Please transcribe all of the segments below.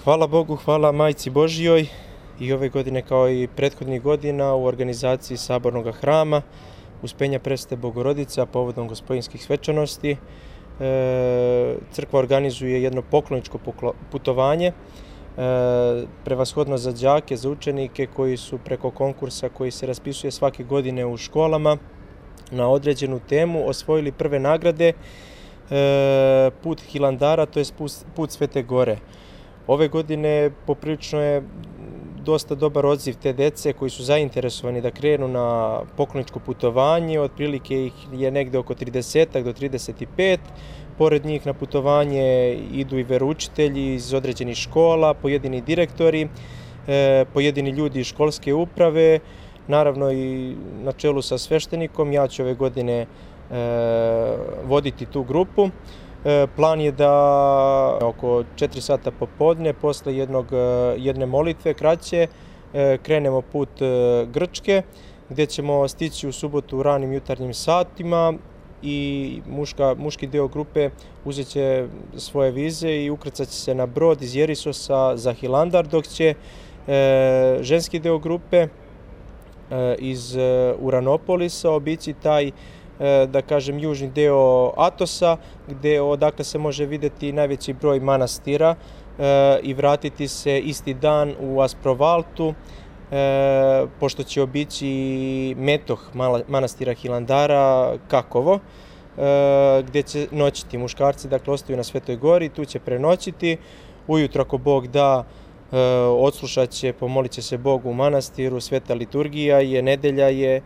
Hvala Bogu, hvala Majci Božjoj i ove godine kao i prethodnih godina u organizaciji Sabornog hrama Uspenja Presvete Bogorodice, a povodom Gospodinskih svečanosti crkva organizuje jedno pokloničko putovanje, prevashodno za đake, za učenike koji su preko konkursa koji se raspisuje svake godine u školama na određenu temu osvojili prve nagrade put Hilandara, to je put Svete Gore. Ove godine poprilično je dosta dobar odziv te dece koji su zainteresovani da krenu na pokloničko putovanje, otprilike ih je negde oko 30 do 35. Pored njih na putovanje idu i veroučitelji iz određenih škola, pojedini direktori, pojedini ljudi iz školske uprave, naravno i na čelu sa sveštenikom. Ja ću ove godine voditi tu grupu. Plan je da oko 4 sata popodne, posle jedne molitve kraće, krenemo put Grčke, gde ćemo stići u subotu u ranim jutarnjim satima i muški deo grupe uzet će svoje vize i ukrcat će se na brod iz Jerisosa za Hilandar, dok će ženski deo grupe iz Uranopolisa obići taj, da kažem, južni deo Atosa, odakle se može videti najveći broj manastira i vratiti se isti dan u Asprovaltu, pošto će obići metoh manastira Hilandara, Kakovo, gde će noćiti. Muškarci dakle ostaju na Svetoj Gori, tu će prenoćiti. Ujutro, ako Bog da, odslušat će, pomolit će se Bogu u manastiru, sveta liturgija je, nedelja je,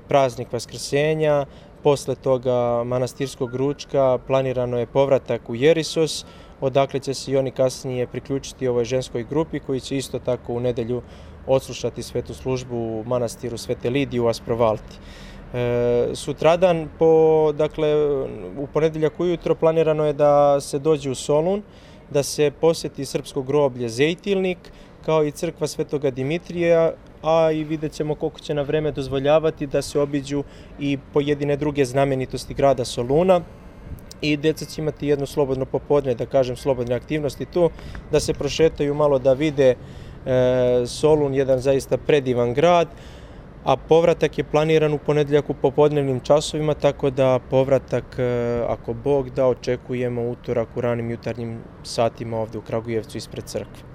praznik Vaskrsenja, posle toga manastirskog ručka, planirano je povratak u Jerisos, odakle će se i oni kasnije priključiti ovoj ženskoj grupi koji će isto tako u nedelju odslušati svetu službu u manastiru Svete Lidije u Asprovalti. Sutradan, u ponedeljak ujutro, planirano je da se dođe u Solun, da se poseti srpsko groblje Zejtilnik, kao i crkva Svetoga Dimitrija, a i vidjet ćemo koliko će na vreme dozvoljavati da se obiđu i pojedine druge znamenitosti grada Soluna. I deca će imati jedno slobodno popodne, da kažem, slobodne aktivnosti tu, da se prošetaju malo, da vide Solun, jedan zaista predivan grad, a povratak je planiran u ponedeljak u popodnevnim časovima, tako da povratak, ako Bog da, očekujemo utorak u ranim jutarnjim satima ovde u Kragujevcu ispred crkve.